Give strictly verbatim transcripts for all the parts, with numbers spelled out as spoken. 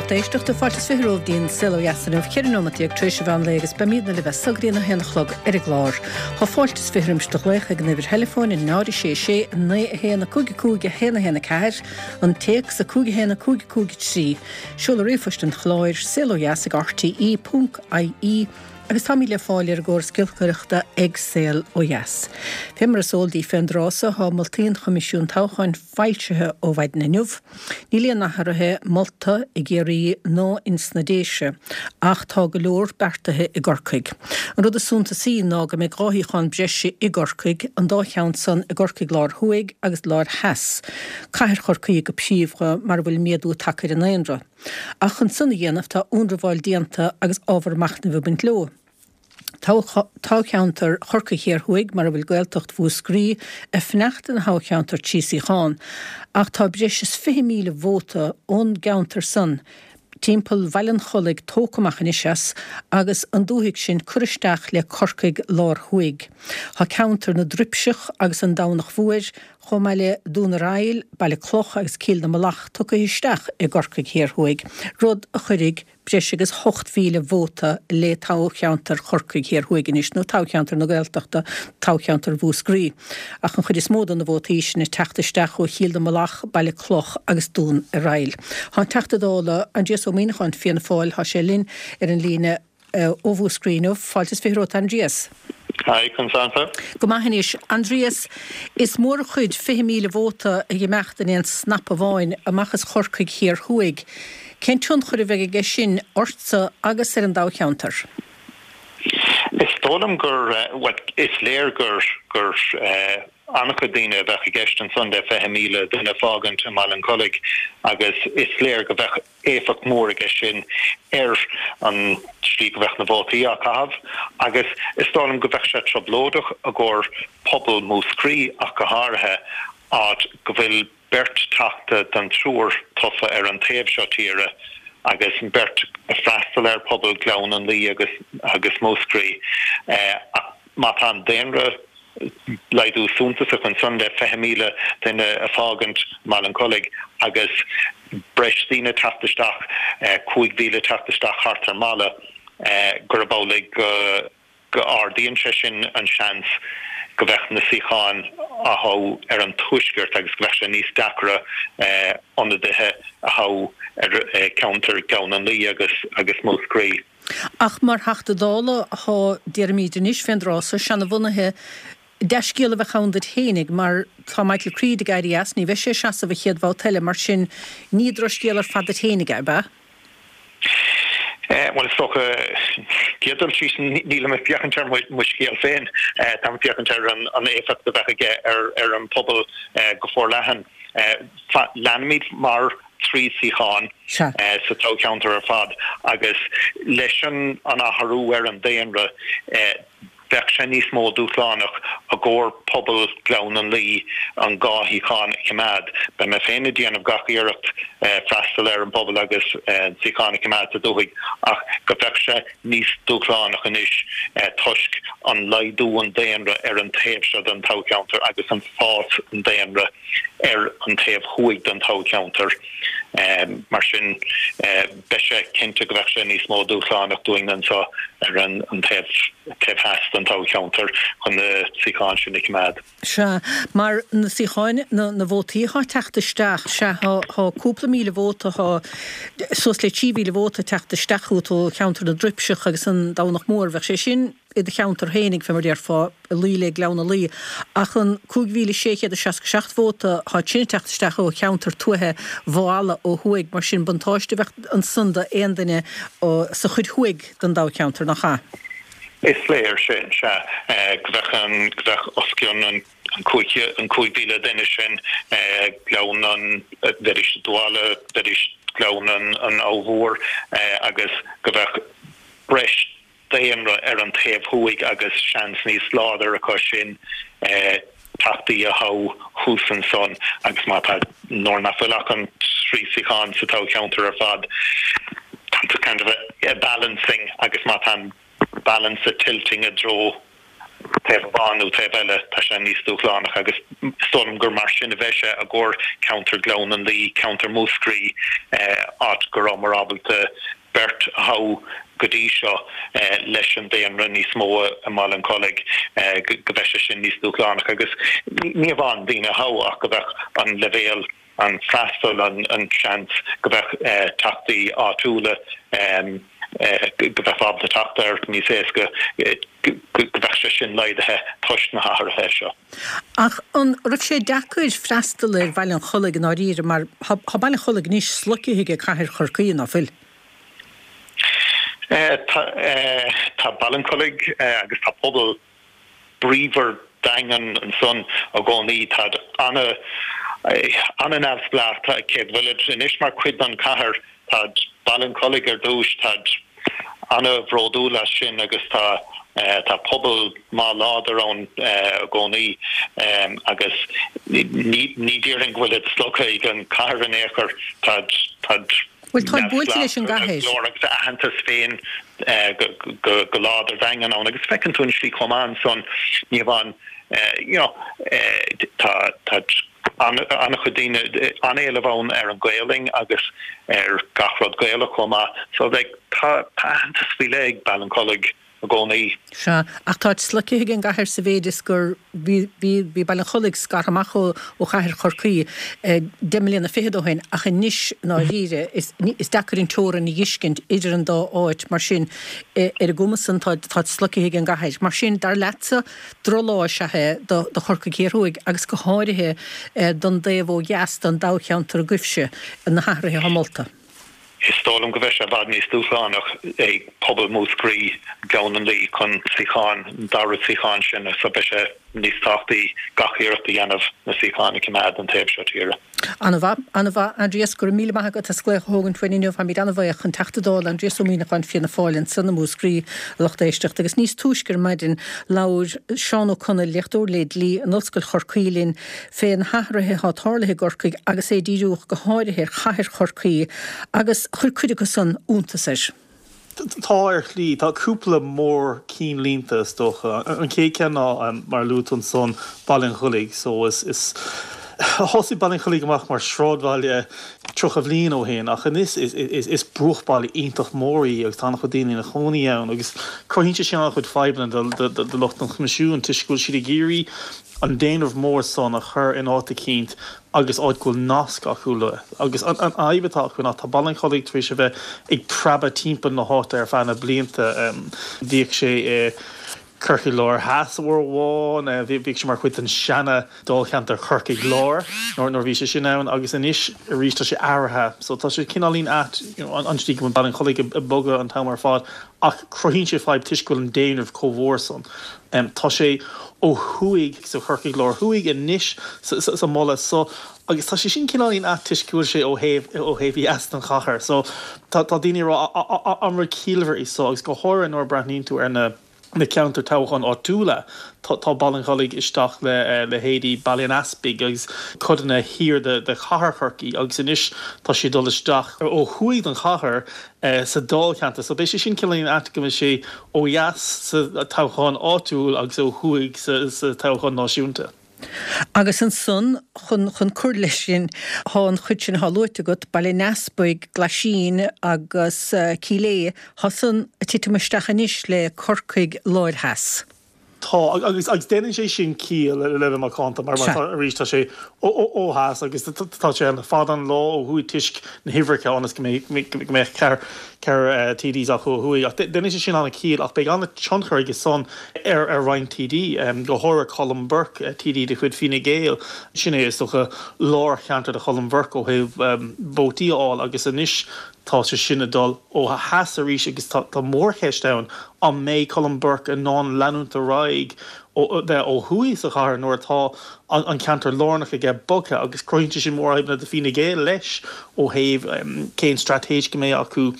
Lucht éisteachta fáilte is fiche romhaibh go dtí an Saol Ó Dheas inniu ceithre nóiméad déag tar éis an mheán lae agus beimidne libh as so go dtí a haon a chlog ar an gclár. Tá fáilte is fiche roimis do ghlaoch ag an uimhir theileafóin a náid a sé sé a naoi a haon a cúig a cúig a haon a haon a ceathair, an téacs a cúig a haon a cúig a cúig a trí, seoladh ríomhphoist an chláir, saol ó dheas ag rte ponc ie agus táimid le fáil ar an gcóras giolcaireachta ag Saol Ó Dheas. Fé mar is eol daoibh fén dtráth so tá moltaí an Choimisiúin Toghcháin foilsithe ó mhaidin inniu. Níl aon athruithe molta i gCiarraí ná ins na Déise, ach tá go leor beartaithe i gCorcaigh. An rud is suntasaí ná go mbeidh dhá shuíochán breise i gCorcaigh, an dá cheann san i gCorcaigh Láir Thuaidh agus Láir Theas, cathair Chorcaí go príomha mar a bhfuil méadú tagtha ar an ndaonra. Ach chun san a dhéanamh tá ionramháil déanta agus ábhar machnaimh ag baint leo. Toghcheantar Chorcaí Thiar Thuaidh, mar a bhfuil Gaeltacht Mhúscraí, ag fanacht ina thoghcheantar trí suíochán, ach tá breis is fiche míle vóta ón gceantar san timpeall Bhaile an Chollaigh tógtha amach anois as agus an dúthaigh sin curtha isteach le Corcaigh Lár Thuaidh. Tá ceantar na dTruipseach agus an Domhnach Mhóir, chomh maith le Dún ar Aill, Baile Cloch agus Cill na Malach tugtha isteach i gCorcaigh Thiar Thuaidh, rud a chuirfidh breis agus ocht mhíle vóta le toghcheantar Chorcaigh Thiar Thuaidh anois, nó toghcheantar na Gaeltachta, toghcheantar Mhúscraí. Ach an chuid is mó de na vótaí sin ag teacht isteach ó Chill na Malach, Baile Cloch agus Dún ar Aill. Tá an Teachta Dála, Aindrias Ó Muimhneacháin, Fianna Fáil, tá sé linn ar an líne ó Mhúscraí inniu. Fáilte is fiche romhat, Aindrias. Hi, conas tánn tú? Go maith anois. Aindrias, is mór an chuid, fiche míle vóta ag imeacht in aon snap amháin amach as Chorcaigh Thiar Thuaidh. Cén tionchar a bheidh aige sin ortsa agus ar an dtoghcheantar? Is dóigh liom gur, bhuel, is léir gur, gur an-chuid daoine a bheadh i gceist ansan le fiche míle duine a fágaint i mBaile an Chollaigh agus is léir go bheadh éifeacht mhór aige sin ar an tslí go bheadh na vótaí á caitheamh agus is dóigh liom go bheadh sé trioblóideach i gcomhair pobal Mhúscraí ach go háirithe, áit go bhfuil beirt Teachta den triúr tofa ar an taobh seo tíre agus beirt ag freastal ar pobal Ghleann an Laoi agus agus Mhúscraí. Ach má tá an daonra laghdú suntasach ansan le fiche míle duine a fágaint mBaile an Chollaigh agus breis daoine teacht isteach, cúig mhíle teacht isteach thart ar mBaile, gurb amhlaidh go go ardaíonn sé sin an seans go bheadh na suíocháin á thoghadh ar an tuaisceart agus go bheadh sé níos deacra ionadaithe a thoghadh ar cheantar Ghleann an Laoi agus agus Mhúscraí. Ach mar Theachta Dála atá, déarfaimid anois fén dtráth so, seanabhunaithe, dea-scéal a bheadh ann duit fhéinig mar tá Michael Creed ag éirí as, ní bheidh sé ag seasamh an chéad bhabhta eile, mar sin ní drochscéal ar fad duit fhéinig é, ab ea? Bhuel, is dócha, céad dul síos, nílim ag féachaint ar mo scéal féin, táim ag féachaint ar an éifeacht a bheadh aige ar an pobal go forleathan. Leanfaimid mar trí suíochán sa toghcheantar ar fad agus leis an athrú ar an daonra, Bheadh sé níos mó dúshlánach i gcomhair pobal Ghleann an Laoi an dhá shuíochán a choimeád. Beidh mé féin ag déanamh gach iarracht freastal ar an bpobal agus an suíochán a choimeád sa dúthaigh ach go bheadh sé níos dúshlánach anois toisc an laghdú an daonra ar an taobh seo den toghcheantar agus an fás an daonra ar an taobh thuaidh den toghcheantar. Mar sin. Beidh sé cinnte go bheadh sé níos mó dúshlánach dúinn anseo ar an taobh taobh theas den toghcheantar chun na suíocháin sin a choimeád. Sea, mar na suíocháin, na na vótaí atá ag teacht isteach, sea, tá tá cúpla míle vóta, tá suas le trí mhíle vóta ag teacht isteach chugat ó cheantar na dTruipseach agus an Domhnach Mór, bheadh sé sin i do cheantar fhéinig, fé mar déarfá, ag luí le Gleann an Laoi, ach an cúig mhíle sé chéad is seasca seacht vóta, tá sin ag teacht isteach ó cheantar tuaithe Mhaigh Eala ó thuaidh, mar sin buntáiste a bheadh ansan d'aon duine sa chuid thuaidh den dtoghcheantar, nach ea? Is léir sin, sea, go bheadh an, go bheadh os cionn an cúig, an cúig mhíle duine sin, Gleann an, bheidís i dTuala, bheidís Gleann an, an Abha Mhór agus go bheadh breis daonra ar an taobh thuaidh agus seans níos láidre acu sin teachtaí a thoghadh thuas ansan agus má tá, nuair nach bhfuil ach an trí suíochán sa toghcheantar ar fad, tá kind of a balancing agus má tá an balance tilting i dtreo Taobh amháin nó taobh eile, tá sé níos dúshlánach agus is dóigh liom gur mar sin a bheidh sé i gcomhair ceantar Ghleann an Laoi, ceantar Mhúscraí, áit go rabhamar ábalta beirt a thoghadh go dtí seo leis an daonra níos mó i mBaile an Chollaigh, go mbeidh sé sin níos dúshlánach agus ní amháin daoine a thoghadh ach go mbeadh an leibhéal an freastal, an seans go mbeadh teachtaí áitiúla go mbeifeá ábalta teacht air níos éasca, go mbeadh sé sin laghdaithe toisc na hathruithe seo. Ach an raibh sé deacair freastal ar Bhaile an Chollaigh i ndáiríre mar tá Baile an Chollaigh anois sloicthe ag Cathair Chorcaí, ná fuil? Tá Baile an Chollaigh agus tá pobal bríomhar daingean ansan i gcónaí. Táid ana ana-neamhspleách, cé go bhfuilid anois mar chuid den chathair, táid Baile an Chollaigh ar dtúis, táid ana-bhródúil as sin agus tá tá pobal maith láidir ann i gcónaí agus ní ní déarfainn go bhfuilid slogtha ag an chathair in aon chor, táid táid Bhuel, táid buailte leis an gcathair. Go leor agus a aitheantas féin go láidir daingean ann agus feiceann tú an slí chomh maith ansan ní amháin you know tá tá an-chuid daoine an-éileamh ann ar an Ghaelainn agus ar gach rud Gaelach chomh maith so like tá aitheantas faoi leith ag Baile an Chollaigh i gcónaí. Sea, ach táid sloicthe ag an gcathair sa mhéid is gur bhí bhí Baile an Chollaigh scartha amach ó ó chathair Chorcaí deich mbliana fichead ó shin ach anois i ndáiríre is is deacair an teorainn a dh'fheiscint idir an dá áit mar sin ar an gcuma san táid táid sloicthe ag an gcathair. Mar sin, dar leatsa, drochlá is ea é do do Chorcaigh Thiar Thuaidh agus go háirithe don dtaobh ó dheas den dtoghcheantar agaibhse, na hathruithe atá molta. Is dóigh liom go mbeidh sé i bhfad níos dúshlánach ag pobal Mhúscraí, Gleann an Laoi chun suíocháin, an dara suíochán sin, so beidh sé níos tábhachtaí gach iarracht a dhéanamh na suíocháin a choimeád don taobh seo tíre. An-mhaith, an-mhaith, Aindrias, go raibh míle maith agat as glaoch a thógaint uainn inniu. Táimid an-bhuíoch. An Teachta Dála Aindrias Ó Muimhneacháin, Fianna Fáil, ansan i Múscraí, a lucht éisteachta. Agus níos túisce ar maidin labhair Seán Ó Conaill, léachtóir le dlí in Ollscoil Chorcaí linn fé na hathruithe atá tarlaithe i gCorcaigh agus é ag díriú go háirithe ar chathair Chorcaí agus chuir cuid acu san iontas air. Tá ar shlí. Tá cúpla mór-chinnlínte is dócha. An chéad cheann ná, mar a luaigh tú ansan, Baile an Chollaigh. So is, is, thosaigh Baile an Chollaigh amach mar shráidbhaile tríocha bhliain ó shin ach anois is, is, is bruachbhaile iontach mór í agus tá an-chuid daoine ina chónaí ann agus cruthaíonn sé sin an-chuid fadhbanna do, do, do, do lucht an Choimisiúin toisc go bhfuil siad ag iarraidh an daonra mór san a chur in áit eicínt agus áit go bhfuil nasc acu leo. Agus an fhadhb atá acu ná tá Baile an Chollaigh tar éis a bheith ag preabadh timpeall na háite ar feadh na blianta. Bhíodh sé i Corcaigh Láir Theas uair amháin, bhíodh sé mar chuid den seana dáilcheantar Chorcaigh Láir nuair a bhí sé sin ann agus anois arís tá sé athraithe. So tá sé cineáilín ait an tslí go bhfuil Baile an Chollaigh ag bogadh an t-am ar fad ach cruthaíonn sé fadhb toisc go bhfuil an daonra chomh mhór san. Tá sé ó thuaidh so Chorcaigh Láir Thuaidh anois sa moladh so agus tá sé sin cineáilín ait toisc go bhfuil sé ó thaobh ó thaobh dheas den chathair. So tá tá daoine ag rá an rud ciallmhar é so agus go háirithe nuair a breathnaíonn tú ar na na ceantair toghcháin áitiúla. Tá tá Baile an Chollaigh isteach le leithéidí Baile an Easpaig agus codanna thiar de de chathair Chorcaí agus anois tá sé ag dul isteach ó thuaidh den chathair sa dáilcheantar. So beidh sé sin cineáilín ait go mbeidh sé ó dheas sa toghchán áitiúil agus ó thuaidh sa sa toghchán náisiúnta. Agus ansan, chun chun cur leis sin, thá an chuid sin athá luaite agat, Baile an Easpaig, Glaisín agus Cill Aodha, thá san ag titim isteach anois le Corcaigh Láir Theas. Tá, agus agus déanann sé sin ciall le bheith macánta mar mar tá arís tá sé ó ó theas agus tá sé le fada an lá ó thuaidh toisc na huimhreacha ionas go mbeidh go mbeadh ceathrar ceathrar TDs acu ó thuaidh. Ach déanann sé sin an-chiall ach beidh an-tionchar aige san ar ar roinnt TD, go háirithe Colm Burke, TD de chuid Fine Gael. Sin é is dócha lárcheantar do Cholm Burke ó thaobh vótaí a fháil agus anois tá sé sin ag dul ó theas arís agus tá tá mórcheist ann an mbeidh Colm Burke in ann leanúint ar aghaidh ó bheith ó thuaidh sa chathair nuair atá an ceantar lárnach aige bogtha agus cruthaíonn sé sin mórfhadhbanna do Fine Gael leis ó thaobh cén straitéis go mbeidh acu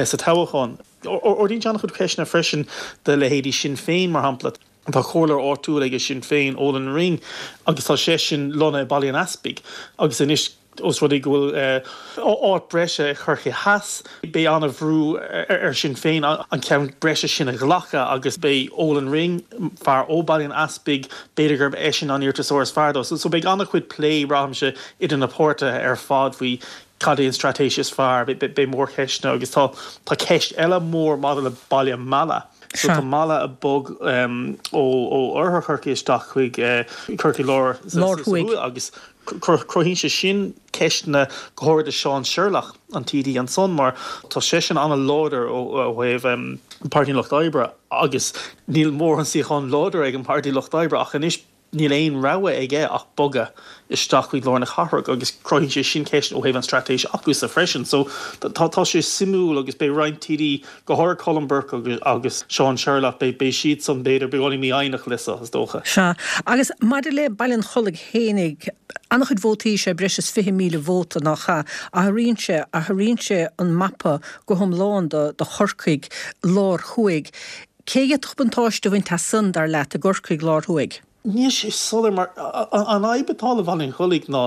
sa toghchán. Ardaíonn sé an-chuid ceisteanna freisin do leithéidí Sinn Féin, mar shampla. Tá comhairleoir áitiúil aige Sinn Féin, Olin Ring, agus tá seisean lonnaithe i Baile an Easpaig agus anois Ós rud é go bhfuil áit breise i Chorcaigh Theas, beidh an-bhrú ar Sinn Féin an ceann breise sin a ghlacadh agus beidh Olan Ring, fear ó Bhaile an Easpaig, b'fhéidir gurb eisean an iarratasóir is fearr dó. So beidh an-chuid plé, braithimse, idir na páirtithe ar fad faoi cad é an straitéis is fearr. Beidh mórcheisteanna agus tá tá ceist eile mór maidir le baile Mala. So tá Mala ag bogadh ó oirthear Chorcaí isteach chuig Corcaigh Láir Lár-Thuaidh agus cruthaíonn sé sin ceisteanna go háirithe do Seán Sherlock, an T D ansan, mar tá seisean an-láidir ó thaobh Páirtí an Lucht Oibre agus níl mórán suíochán láidir ag an Páirtí Lucht Oibre ach anois níl aon rogha aige ach bogadh isteach chuig lár na cathrach agus cruthaíonn sé sin ceist ó thaobh an straitéis acusa freisin. So tá tá sé suimiúil agus beidh roinnt T D, go háirithe Colm Burke agus agus Seán Sherlock, beidh beidh siad san b'fhéidir beagáinín mífhoighneach leis is dócha. Sea, agus maidir le Baile an Chollaigh fhéinig, an-chuid vótaí sé breis is fiche míle vóta nach ea? Athraíonn sé, athraíonn sé an mapa go hiomlán do do Chorcaigh Lár Thuaidh. Cé a d'fhéadfadh buntáiste a bhaint as san, dar leat, i gCorcaigh Lár Thuaidh? Níl sé soiléir mar an fhadhb atá le Baile an Chollaigh ná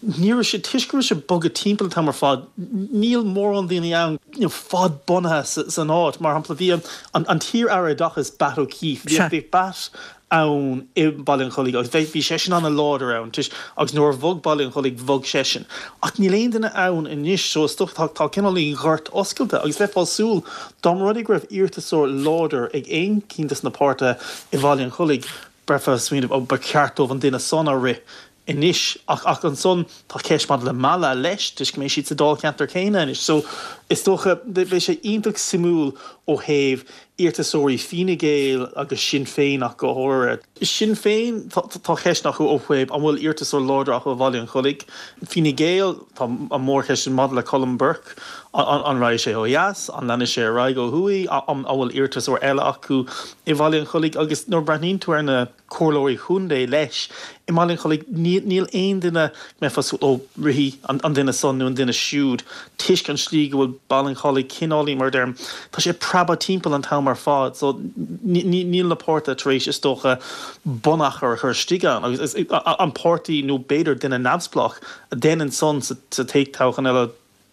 ní raibh sé toisc go raibh sé bogtha timpeall an t-am ar fad, níl mórán daoine ann you know, fadbhunaithe san áit. Mar shampla bhí an, an t-iar-aire oideachais Batt O'Keefe, bhí bhí Batt ann i Baile an Chollaigh agus bhí seisean an-láidir ann toisc agus nuair a bhog Baile an Chollaigh bhog seisean. Ach níl aon duine ann anois so is dócha tá tá cineál gort oscailte agus bheifeá ag súil dá mba rud é go raibh iarratasóir láidir ag aon cheann de na páirtithe i Bhaile an Chollaigh bheifeá ag smaoineamh ó ba cheart dóibh an duine san a rith anois ach ach ansan tá ceist maidir le Mala leis toisc go mbeidh siad sa dáilcheantar céanna anois. So is dócha beidh sé iontach suimiúil ó thaobh iarratasóirí Fine Gael agus Sinn Féin ach go háirithe. Sinn Féin tá ceist acu ó thaobh an bhfuil iarratasóir láidir acu i Bhaile an Chollaigh. Fine Gael tá an mhórcheist maidir le Colm Burke an, an raghaidh sé ó dheas, an leanfaidh sé ar aghaidh ó thuaidh, an bhfuil iarratasóir eile acu i Bhaile an Chollaigh agus nuair a bhreathnaíonn tú ar na comhairleoirí contae leis i mBaile an Chollaigh níl aon duine mbeifeá ó rithfidh an, an duine san nó an duine siúd toisc an slí go bhfuil Baile an Chollaigh cineáilín mar deirim tá sé preabadh timpeall an t-am ar fad so níl na páirtithe tar éis is dócha bunachar a chur istigh ann agus an páirtí nó b'fhéidir duine neamhspleách a dhéanann san sa toghchán eile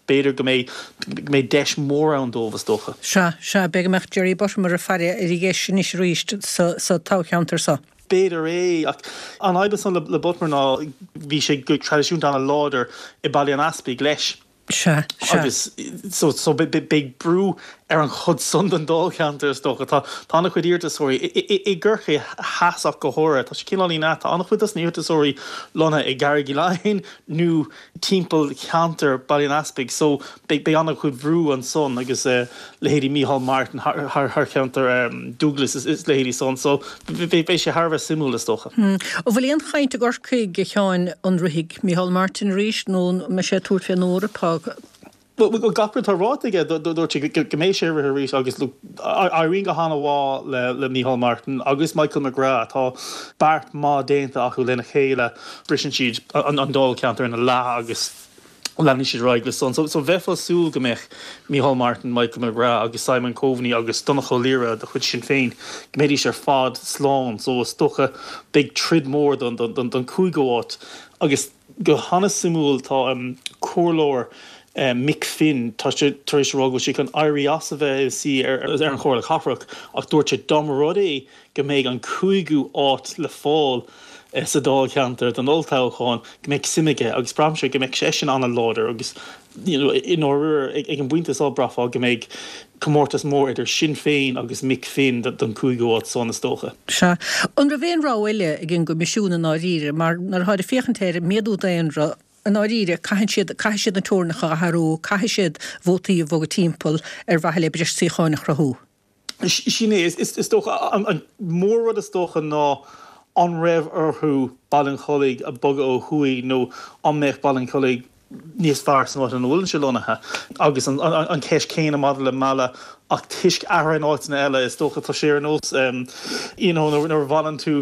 b'fhéidir go mbeidh go mbeidh deis mór ann dóibh is dócha. Sea, sea, b'fhéidir go mbeadh Jerry Buttimer ag faire ar a dheis anois arís sa, sa toghcheantar seo. B'fhéidir é ach an fhadhb san le, le Buttimer ná bhí sé go traidisiúnta an-láidir i Baile an Easpaig leis. Sea, sea. Agus so, so beidh brú ar an chud san den dáilcheantar is dócha tá tá an-chuid iarratasóirí i gCorcaigh Theas ach go háirithe tá sé cineáilín tá an-chuid dos na iarratasóirí lonnaithe i gCarraig Uí Leighin nó timpeall cheantar Baile an Easpaig so beidh an-chuid brú ansan agus uh, leithéidí Micheál Martin thar, thar, thar cheantar um, Douglas is, is leithéidí san so beidh sé thar a bheith suimiúil is dócha. Hmm. An bhfuil aon chaint i gCorcaigh a Sheáin an rithfidh Micheál Martin arís nó mbeidh sé ag tabhairt fén Eoraip Well gach rud atá ráite aige dúirt sé go mbeidh sé rith arís agus éiríonn go han-mhaith le le Micheál Martin agus Michael McGrath tá beart maith déanta acu lena chéile briseann siad an, an dáilcheantar ina leath agus leanann siad ar aghaidh le san. So, so bheifeá ag súil go mbeadh Micheál Martin, Michael McGrath agus Simon Coveney agus Donnchadh Ó Laoghaire de chuid Sinn Féin go mbeidís ar fad slán, so is dócha beidh troid mór don, don, don, don cúigiú háit agus go han-suimiúil tá um, comhairleoir uh, Mick Finn tá sé tar éis rá go bhfuil sé chun éirí as a bheith sí ar, ar an Chomhairle Cathrach ach dúirt sé dá mba rud é go mbeidh an cúigiú áit le fáil uh, sa dáilcheantar don olltoghchán go mbeidh suim aige agus braithimse go mbeidh seisean an-láidir agus you know, in áir ag, ag an bpointe seo bhraithfeá go mbeidh comórtas mór idir Sinn Féin agus Mick Finn don cúigiú háit san is dócha. Sea. An raibh aon rogha eile ag an gCoimisiún i ndáiríre, mar nuair atá ag féachaint ar méadú daonra i ndáiríre caithfidh siad caithfidh siad na teorainneacha a athrú, caithfidh siad vótaí a bhogadh timpeall ar mhaithe le breis suíocháin a chruthú. Sin é is, is dócha an, an mórrud is dócha ná an raibh orthu Baile an Chollaigh a bhogadh ó thuaidh nó an mbeadh Baile an Chollaigh níos fearr san áit ina bhfuil sé lonnaithe agus an, an, an ceist céanna maidir le Mala ach toisc athruithe in áiteanna eile is dócha tá sé ar nós you know nuair a bhaineann tú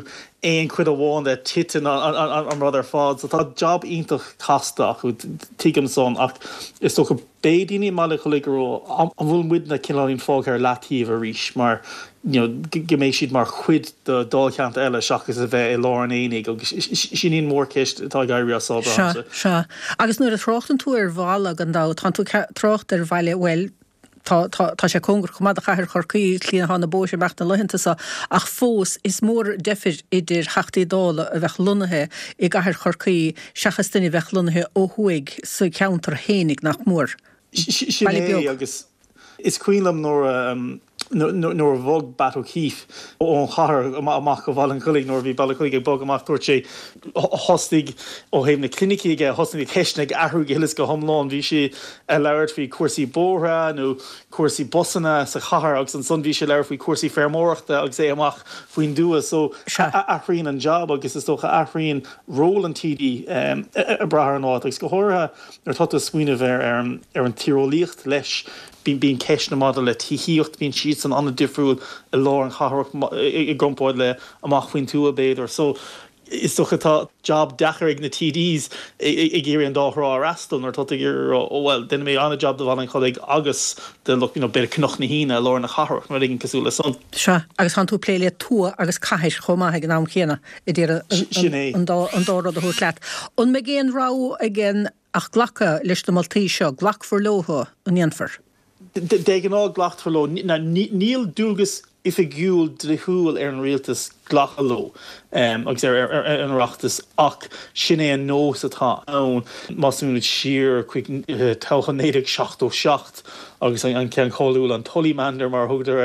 aon chuid amháin de titeann an rud ar fad so tá job iontach casta acu tuigim san ach is dócha beidh daoine i mBaile an Chollaigh ag rá an bhfuil muidne cineáilín fágtha ar leataobh arís mar you know go mbeidh siad mar chuid de dáilcheantar eile seachas a bheith i lár an aonaigh agus sin í an mhórcheist atá ag éirí as Sea, sea. Agus nuair a thráchtann tú ar bhaile gan dabht, tánn tú ag trácht ar bhaile, bhuel, tá, tá, tá sé cóngarach chomh maith do chathair Chorcaí, slí atá na bóithre amach na laethanta seo, ach fós is mór deifir idir Theachtaí Dála a bheadh lonnaithe i gcathair Chorcaí seachas duine a bheadh lonnaithe ó thuaidh sa cheantar fhéinig, nach mór. Sin é agus is cuimhin liom nuair a nuair a bhog Batt O'Keeffe ón chathair amach go Baile an Chollaigh nuair a bhí Baile an Chollaigh ag bogadh amach dúirt sé thosaigh ó thaobh na clinicí aige thosaigh na ceisteanna ag athrú go huile is go hiomlán bhí sé ag labhairt faoi cúrsaí bóithre nó cúrsaí busanna sa chathair agus ansan bhí sé ag labhairt faoi cúrsaí feirmeoireachta agus é amach faoin dtuath so athraíonn an job agus is dócha athraíonn ról an TD ag brath ar an áit agus go háirithe nuair atá tú ag smaoineamh ar ar an tíreolaíocht leis bíonn ceisteanna maidir le tithíocht bíonn siad san an-difriúil i lár an chathrach i gcomparáid le amach faoin tuath b'fhéidir. So is dócha tá job deacair ag na TDs ag iarraidh an dá thrá a fhreastal nuair atá tú ag iarraidh rá oh well déanfaidh mé an-job do Bhaile an Chollaigh agus do you know b'fhéidir Cnoc na hAoine i lár na cathrach nó rud éigin cosúil le san. Sea, agus tánn tú ag plé le tuath agus cathair chomh maith ag an am chéanna ag iarraidh an dá an dá rud a thabhairt leat. An mbeidh aon rogha againn ach glacadh leis na moltaí seo, glacfar leo, an ndéanfar? De ghnáth glacfar leo. Níl dualgas oifigiúil dlíthiúil ar an rialtas glacadh leo agus ar an Oireachtas ach sin é an nós atá ann. Má smaoinímid siar chuig toghchán naoi déag seachtó seacht agus an ceann cáiliúil, an Tullymander mar a thugadar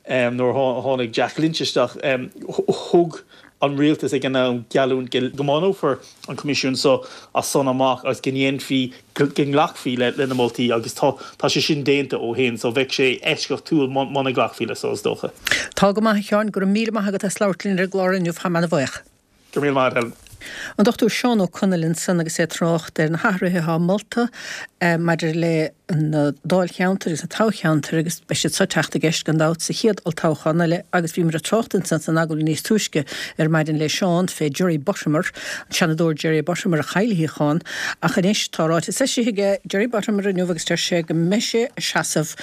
air, nuair a tháinig Jack Lynch isteach, thug an rialtas ag an am geallúint go mbunófar an Coimisiún seo as san amach agus go ndéanfaí, go nglacfaí le na moltaí agus tá tá sé sin déanta ó shin so bheadh sé eisceachtúil muna nglacfaí leis so is dócha. Tá go maith a Sheáin, go raibh míle maith agat as labhairt linn ar an gclár inniu, táim ana-bhuíoch. Go raibh míle maith agat Helen. An Dochtúir Seán Ó Conaill ansan agus é ag trácht ar na hathruithe atá molta maidir le na dáilcheantair agus na toghcheantair agus beidh siad seo ag teacht i gceist gan dabht sa chéad olltoghchán eile agus bhíomar ag trácht ansan san agallamh níos túisce ar maidin le Seán fé Jerry Buttimer, an Seanadóir Jerry Buttimer a chaill a shuíochán ach anois tá ráiteas eisithe aige Jerry Buttimer inniu agus deir sé go mbeidh sé ag seasamh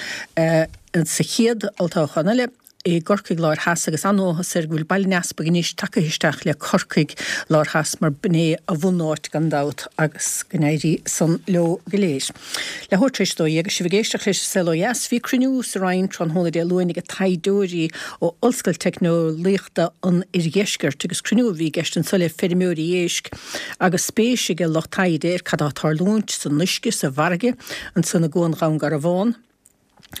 sa chéad olltoghchán eile. i gCorcaigh Láir Theas agus an-áthas air go bhfuil Baile an Easpaig anois tagaithe isteach le Corcaigh Láir Theas mar b'in é a bhunáit gan dabht agus go n-éirí san leo go léir. Leathuair tar éis a dó dhéag agus sibh ag éisteacht leis An Saol Ó Dheas, bhí cruinniú sa Rinn tráthnóna Dé Luain ag taighdeoirí ó Ollscoil Teicneolaíochta an Oirdheiscirt agus cruinniú a bhí i gceist anso le feirmeoirí éisc agus spéis ag lucht taighde ar cad atá ag tarlúint san uisce sa bhfarraige ansan i gCuan Dhún Garbhán.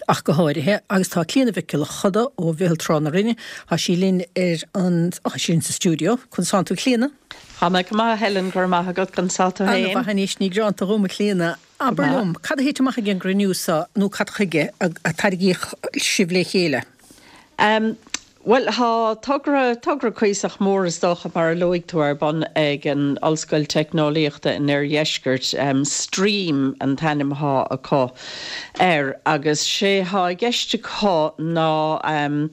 ach go háirithe, agus tá Clíona Mhic Giolla Choda ó Mheitheal Trá na Rinne, tá sí linn ar an, tá sí linn sa stiúideo. Conas tánn tú a Chlíona? Tá mé go maith a Helen, go raibh maith agat, conas tá tú féin? Ana-mhaith anois, ní gearánta dhom a Chlíona. Abair liom, cad a thit amach ag an gcruinniú seo nó cad chuige a tarraingíodh sibh le chéile? Bhuel, tá togra, togra cuíosach mór is dócha, mar a luaigh tú, ar bun ag an Ollscoil Teicneolaíochta in Oirdheisceart, Stream an t-ainm athá acu air, agus sé thá i gceist acu ná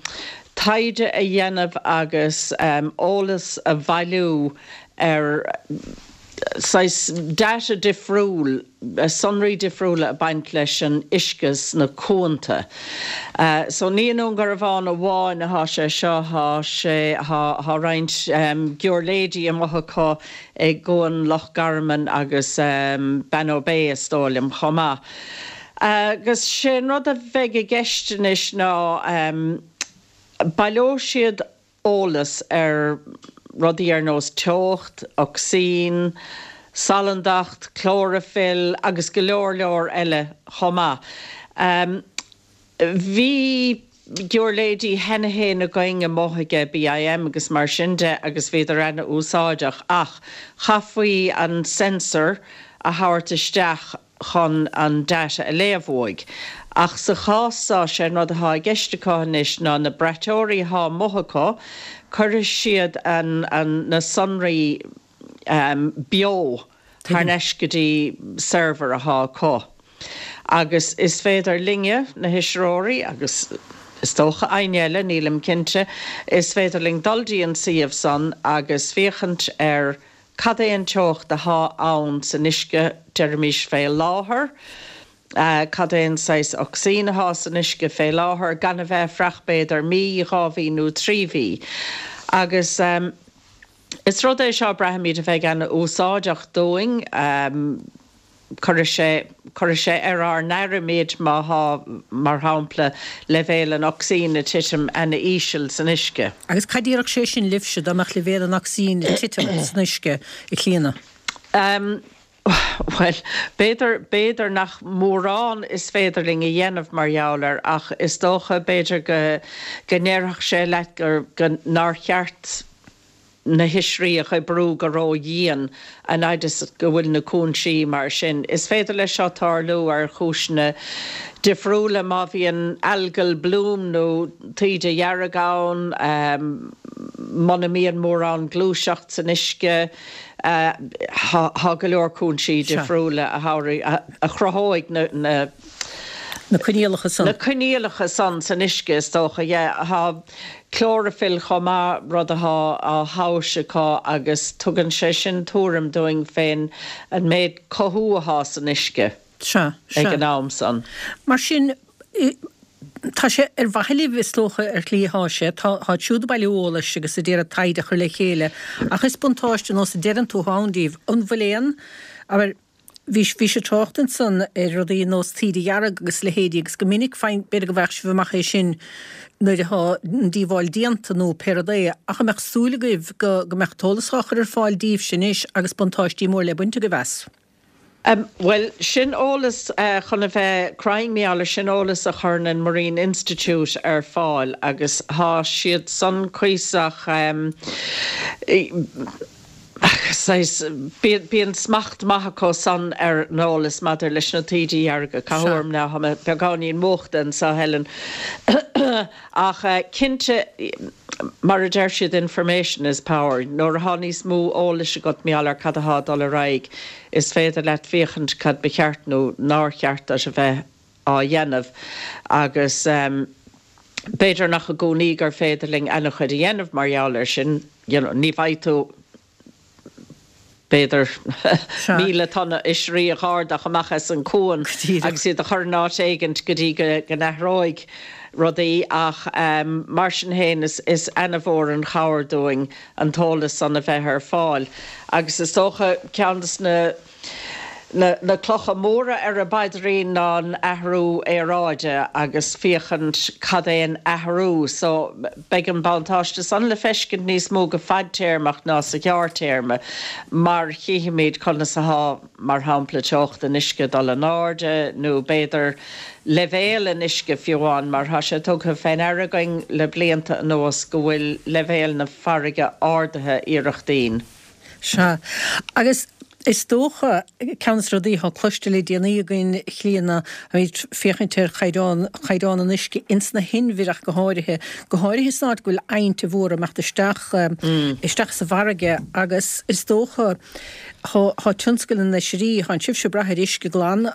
taighde a dhéanamh agus eolas a bhailiú ar saghas data difriúil, sonraí difriúla ag baint leis an uisce sna cuanta. So ní i nDún Garbhán amháin athá sé seo, thá sé, thá, thá roinnt giúirléidí amuigh acu i gCuan Loch Garman agus Bannow Bay is dóigh liom chomh maith. Agus sé an rud a bheidh i gceist anois ná baileoidh siad eolas ar rudaí ar nós teocht, ocsaín, salandacht, clóraifill agus go leor leor eile chomh maith. Bhí giúirléidí cheana féin againn amuigh aige BIM agus mar sin de agus bhíodar ana-úsáideach ach chaithfí an sensor a thabhairt isteach chun an data a léamh uaidh. Ach sa chás seo, sé an rud athá i gceist acu anois ná na braiteoirí athá amuigh acu, cuirfidh siad an, an, na sonraí beo thar n-ais go dtí server athá acu. Agus is féidir linne, na hoisreoirí, agus is dócha éinne eile, nílim cinnte, is féidir linn dul dtí an suíomh san agus féachaint ar cad é an teocht atá ann san uisce, deirimis fé láthair, cad é an saghas ocsaín atá san uisce fé láthair, gan a bheith ag fuireach b'fhéidir mí, dhá mhí nó trí mhí. Agus is rud é seo braithimid a bheidh an-úsáideach dúinn. Cuirfidh sé, cuirfidh sé ar ár n-aire muid má thá, mar shampla, leibhéal an ocsaín ag titim ana-íseal san uisce. Agus cad déarfadh sé sin libhse dá mbeadh leibhéal an ocsaín ag titim san uisce, a Chlíona? Bhuel, b'fhéidir, b'fhéidir nach mórán is féidir linn a dhéanamh mar gheall air ach is dócha, b'fhéidir go, go ndéarfadh sé leat gur, go, nár cheart na hoisrí a oibriú go ró-dhian an fhaid is go bhfuil na cúinsí mar sin. Is féidir leis seo tarlú ar chúiseanna difriúla, má bhíonn algal bloom nó taoide dhearg ann, muna mbíonn mórán gluaiseacht san uisce, tá go leor cúinsí difriúla a chruthóidh na. Na coinníollacha san. Na coinníollacha san san uisce, is dócha, yeah. Tá clóraifill chomh maith, rud atá á thomhas acu agus tugann sé sin tuairim dúinn fén an méid cothú atá san uisce Sea, sea. ag an am san. Mar sin, tá sé ar mhaithe libh, is dócha, ar shlí atá sé. Tá, táid siúd ag bailiú eolais agus ag iarraidh taighde a chur le chéile ach is buntáiste, nós a deireann tú, atá ann daoibh. An bhfuil aon, abair, Bhí bhí sé trácht ansan ar rudaí ar nós taoide dhearg agus leithéidí agus go minic faigheann, b'fhéidir go bhfaigheadh sibh amach é sin nuair atá an díobháil déanta nó pé rud é, ach an mbeadh súil agaibh go go mbeadh an t-eolas á chur ar fáil daoibhse anois agus buntáistí mór le baint agaibh as? Bhuel, sin eolas chun a bheith cruinn, mar gheall air, sin eolas a chuireann an Marine Institute ar fáil agus tá siad san cuíosach, Saghas, bíonn smacht maith acu san ar an eolas maidir leis na taoidí dhearga, caithfidh orm ná, tá mé beagáinín múchta anseo, Helen. Ach cinnte, mar a deir siad, information is power. Nuair atá níos mó eolais agat mar gheall ar cad atá ag dul ar aghaidh, is féidir leat féachaint cad ba cheart nó nár cheart duit a bheith á dhéanamh agus b'fhéidir nach i gcónaí gur féidir linn an-chuid a dhéanamh mar gheall air sin, you know, ní bhfaighidh tú, b'fhéidir, míle tonna oisrí a dh'ardach amach as an cuan agus iad a chur in áit éigint go dtí go n-athróidh rudaí ach mar sin féin is is ana-mhór an chabhair dúinn an t-eolas san a bheith ar fáil agus is dócha ceann de na Na clocha móra ar an bpaidrín ná an athrú aeráide agus féachaint cad é an athrú so beidh an buntáiste san le feiscint níos mó go fadtéarmach ná sa ghearrtéarma mar chífimid conas athá mar shampla teocht an uisce ag dul in airde nó b'fhéidir leibhéal an uisce fiú amháin mar thá sé tugtha fé ndeara againn le blianta anuas go bhfuil leibhéal na farraige ardaithe iarrachtín. Sea. Agus is dócha, ceann de na rudaí atá cloiste le déanaí againn, a Chlíona, táimid féachaint ar chaighdeán, chaighdeán an uisce ins na hinbhir ach go háirithe, go háirithe san áit go bhfuil aibhnte mhóra ag imeacht isteach, isteach sa bhfarraige agus is dócha, thá, thá tionscal na n-oisrí, thánn sibhse ag brath ar uisce glan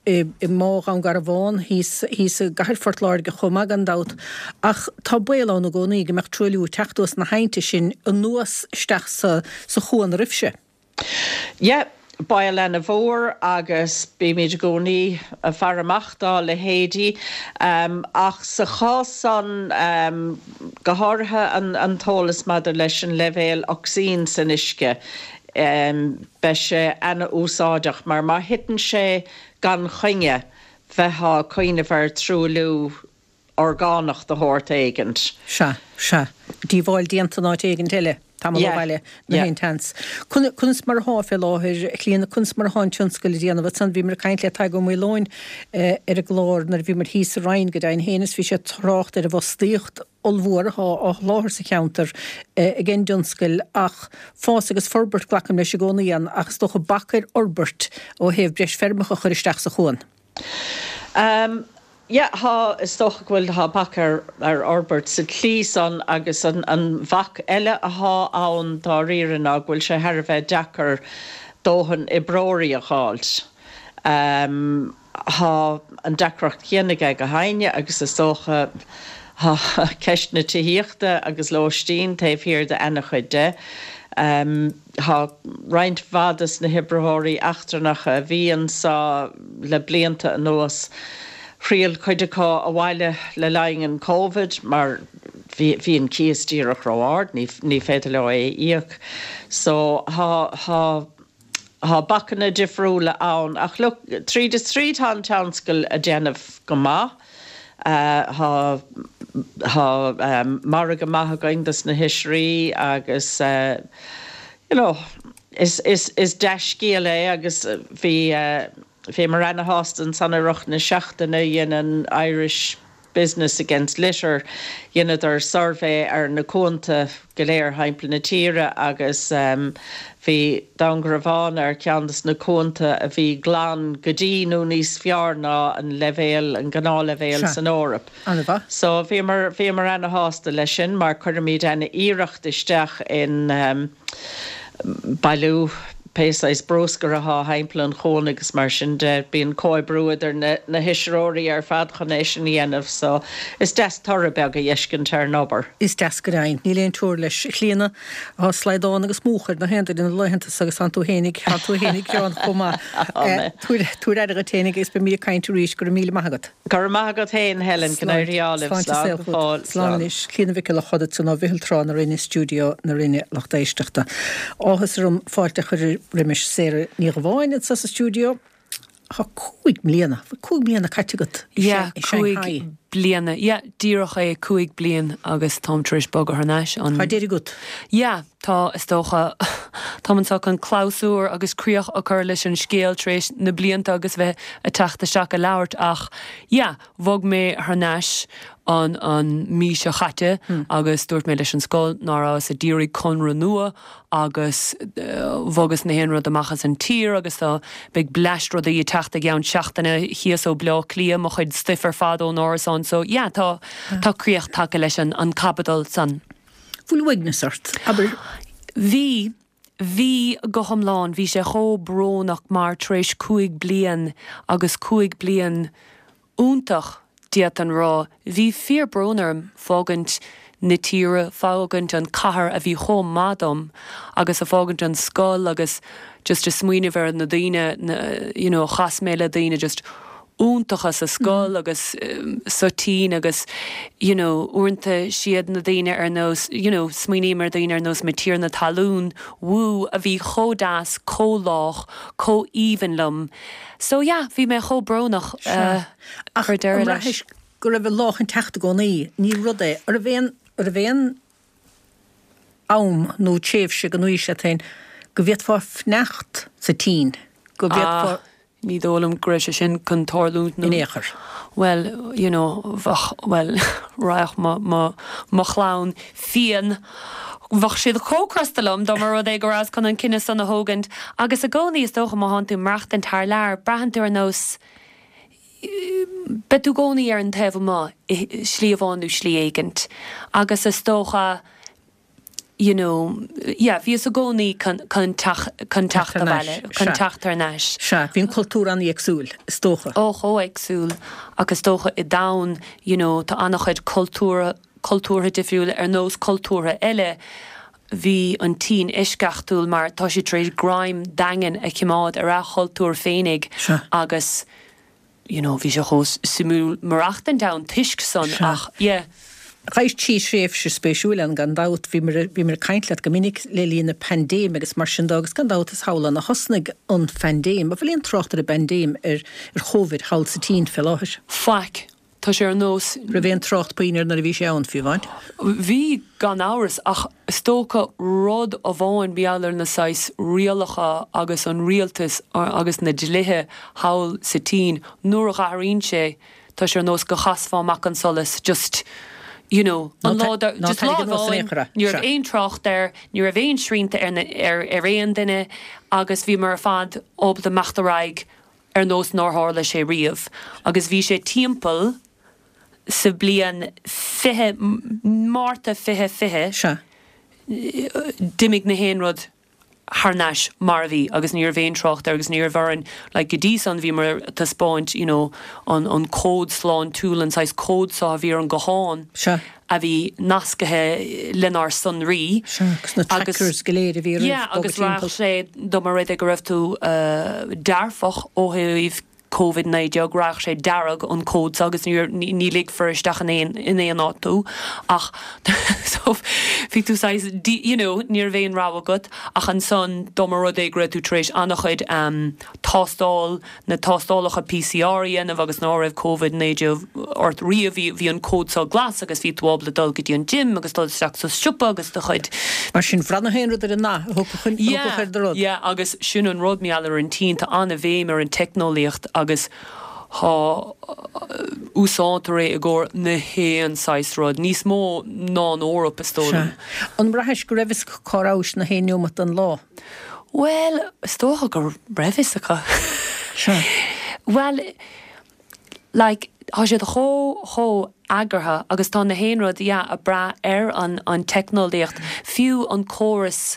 i, i mBá Dhún Garbhán thíos, thíos i gcathair Phort Láirge chomh maith gan dabht ach tá baol ann i gcónaí go mbeadh truailliú ag teacht ós na haibhnte sin anuas isteach sa, sa chuan oraibhse. Yeah, baol ana-mhór agus bímid i gcónaí ag faire amach dá leithéidí. Ach sa chás san, go háirithe an t-eolas maidir leis an leibhéal ocsaín san uisce, beidh sé ana-úsáideach mar má thiteann sé gan choinne, bheifeá ag cuimhneamh ar truailliú orgánach de shórt éigint. Sea, sea. Díobháil déanta in áit éigint eile, tamall ó bhaile, nach aon tseans. Conas mar athá fé láthair, a Chlíona, conas mar athá an tionscal ag déanamh ansan? Bhíomar ag caint le Tadhg Ó Maoileoin ar an gclár nuair a bhíomar thíos sa Rinn, go deimhin féin, is bhí sé ag trácht ar an bhfostaíocht ollmhór athá á sholáthar sa cheantar ag an dtionscal ach fás agus forbairt, glacaim leis i gcónaí ann, ach is dócha bac ar fhorbairt ó thaobh breis feirmeacha a chur isteach sa chuan. Yeah, thá, is dócha go bhfuil, thá bac ar, ar fhorbairt sa tslí san agus an, an bhac eile athá ann dáiríre ná go bhfuil sé thar a bheith deacair dóthain oibreoirí a dh'fháilt. Tá an deacracht chéanna ag gach éinne agus is dócha tá ceist na tithíochta agus lóistín taobh thiar de an-chuid de. Tá roinnt mhaith des na hoibritheoirí eachtrannacha a bhí anseo le blianta anuas, thriail cuid acu abhaile le linn an Covid mar bhí bhí an cíos díreach ró-ard, ní ní féidir leo é a íoc. So tá tá Tá bacanna difriúla ann ach look, tríd is tríd tá an tionscal ag déanamh go maith. Tá tá margadh maith againn dos na hoisrí agus you know is is is dea-scéal é agus bhí bhíomar ana-shásta ansan i rith na seachtaine dhein an Irish Business Against Litter, dheineadar suirbhé ar na cuanta go léir thimpeall na tíre agus bhí Dún Garbhán ar cheann des na cuanta a bhí glan go dtí nó níos fearr ná an leibhéal, an gnáthleibhéal san Eoraip. So bhíomar, bhíomar ana-shásta leis sin mar cuirimid ana-iarracht isteach in bailiú pé saghas bruscar atá thimpeall an chuain agus mar sin de, bíonn comhoibriú idir na na hoisreoirí ar fad chun é sin a dhéanamh so is deas toradh beag a fheiscint ar an obair. Is deas go deimhin. Níl aon teora leis. A Chlíona, tá slaghdán agus múch ar na haon duine na laethanta so agus tánn tú fhéinig, tá tú fhéinig gearán chomh maith. Tabhair, tabhair aire dhuit fhéinig agus beimid ag caint arís. Go raibh míle maith agat. Go raibh maith agat féin, Helen, go n-éirí ádh libh. Sláinte Slán saol go chugat. fóill. Slán Slán. anois. Clíona Mhic Giolla Choda ansan ó Mhichíl Trá na Rinne, Stiúideo na Rinne, lucht éisteachta. Áthas orm fáilte a chur roimis Sarah Ní Dhubháin anseo sa stiúideo. Tá cúig mbliana, cúig mbliana caite agat i Yeah, Shanghai. cúig bliana. Yeah, díreach é cúig bliain agus táim tar éis bogadh thar n-ais an. Tá deireadh agat. Yeah, tá is dócha táim anseo chun clabhsúr agus críoch a chur leis an scéal tar éis na blianta agus bheith ag teacht isteach ag labhairt ach yeah, bhog mé thar n-ais an an mí seo chaite agus dúirt mé leis an scoil ná rabhas ag iarraidh conradh nua agus bhogas na haon rud amach as an tír agus tá beidh bleaist rudaí ag teacht i gceann seachtaine thíos ó Bleá Cliath mo chuid stuif ar fad ón árasán so yeah tá tá críoch tagtha leis an an caibidil san. Bhfuil uaigneas ort, abair? Bhí Bhí go hiomlán, bhí sé chomh brónach mar tar éis cúig bliain agus cúig bliain iontach d'fhéadfainn rá, bhí fíor brón orm fágaint na tíre, fágaint an cathair a bhí chomh maith dom agus a fágaint an scoil agus just a smaoineamh ar na daoine na, you know, chas mé le daoine just iontacha sa scoil agus sa tSín agus you know, uaireanta siad na daoine ar nós you know, smaoiním ar daoine ar nós mo tiarna talún Wu a bhí chomh deas, chomh lách, chomh aoibhinn liom. So yeah, bhí mé chomh brónach uh, Ach cur deireadh an leis. mbraithis go raibh an lá chun teacht i gcónaí, ní rud é, an raibh aon, an raibh aon am nó tréimhse go n-aois leat féin go bhféadfá fanacht sa tSín, go bhféadfá Ah, ní dóigh liom go raibh sé sin chun tarlúint nó in aon chor. Well, you know, bheadh, well, raghadh mo, mo, mo chlann fiáin bheadh siad chomh crosta liom dá mba rud é go rabhas chun an cinneadh san a thógaint agus i gcónaí is dócha má thánn tú ag maireachtaint thar lear, braitheann tú ar nós beidh tú i gcónaí ar an taobh amuigh i slí amháin nó slí éigint agus is dócha you know, yeah, bhíos i gcónaí chun, chun teach, chun teacht Teacht thar abhaile, n-ais, chun sea. teacht thar n-ais. Sea, bhí an cultúr an-éagsúil, is dócha. Ó chomh héagsúil agus is dócha i domhan, you know, tá an-chuid cultúr, cultúrtha difriúla ar nós cultúrtha eile, bhí an tSín eisceachtúil mar tá sí tar éis greim daingean a choimeád ar a chultúr féinig Sea. agus you know, bhí sé chomh suimiúil maireachtaint ann toisc san Sea. ach yeah. Chaith tú tréimhse spéisiúil ann gan dabht, bhíomar bhíomar ag caint leat go minic le linn na paindéime agus mar sin de agus gan dabht is thall ann a thosnaigh an phaindéim. An bhfuil aon trácht ar an bpaindéim ar ar Covid thall sa tSín fé láthair? Faic, tá sé ar nós Raibh aon trácht puinn air nuair a bhí sé ann fiú amháin? Bhí gan amhras ach is dócha rud amháin mar gheall ar na saghas rialacha agus an rialtas agus na dlíthe thall sa tSín nuair a athraíonn sé tá sé ar nós go chasfá amach an solas just you know, an lá just lá amháin ní raibh aon trácht air, ní raibh aon srianta ar, ar, ar aon duine agus bhíomar ar fad ábalta imeacht ar aghaidh ar nós nár tharla sé riamh. Agus bhí sé timpeall sa bliain fiche Márta fiche fiche Sea. d'imigh na haon rud thar n-ais mar a bhí agus ní raibh aon trácht air agus ní raibh orainn like go dtí san bhíomar ag taispeáint you know an an cód sláintiúil an saghas cód seo a bhí ar an guthán Sea. a bhí nascaithe lenár sonraí. Sea, agus na trackers go léir a bhí oraibh Yeah, bogadh agus rachadh timpeall. sé dá mba rud é go raibh tú uh, dearfach ó thaobh Covid naoi déag, rachadh sé dearg an cód so agus ní ní ligfear isteach in aon in aon áit tú ach so bhí tú saghas you know ní raibh aon rogha agat ach ansan dá mba rud é go raibh tú tar éis an-chuid um, tástáil na tástálacha PCR a dhéanamh agus ná raibh Covid naoi déag ort riamh bhí bhí an cód so glas agus bhí tú ábalta dul go dtí an gym agus dul isteach sa siopa agus do chuid Mar sin bhraith na haon rud ar an nath a thugfadh chun Yeah, ar do rud. yeah, agus sin an rud mar gheall ar an tSín tá an-bhéim ar an teicneolaíocht agus tá úsáidtear é i gcomhair na haon saghas rud níos mó ná an Eoraip is dóigh liom. An mbraithis go raibh fhios acu cá rabhais na haon neomat den lá? Well, is dócha go raibh fhios acu. Sea. Well, like, tá siad chomh chomh eagraithe agus tá na haon rud yeah, ag brath ar an, an teicneolaíocht, fiú an córas